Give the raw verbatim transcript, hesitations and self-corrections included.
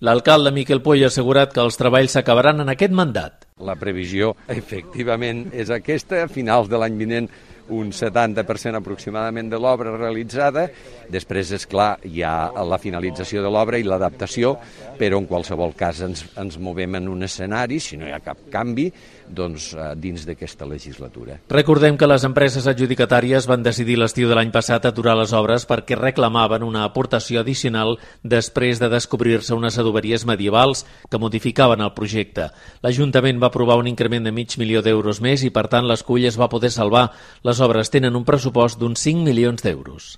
L'alcalde Miquel Puey ha assegurat que els treballs s'acabaran en aquest mandat. La previsió, efectivament, és aquesta. A finals de l'any vinent, un setanta per cent aproximadament de l'obra realitzada. Després, és clar, hi ha la finalització de l'obra i l'adaptació, però en qualsevol cas ens, ens movem en un escenari, si no hi ha cap canvi, doncs dins d'aquesta legislatura. Recordem que les empreses adjudicatàries van decidir l'estiu de l'any passat aturar les obres perquè reclamaven una aportació addicional després de descobrir-se unes adoberies medievals que modificaven el projecte. L'Ajuntament va aprovar un increment de mig milió d'euros més i, per tant, l'Escull es va poder salvar. Les obres tenen un pressupost d'uns cinc milions d'euros.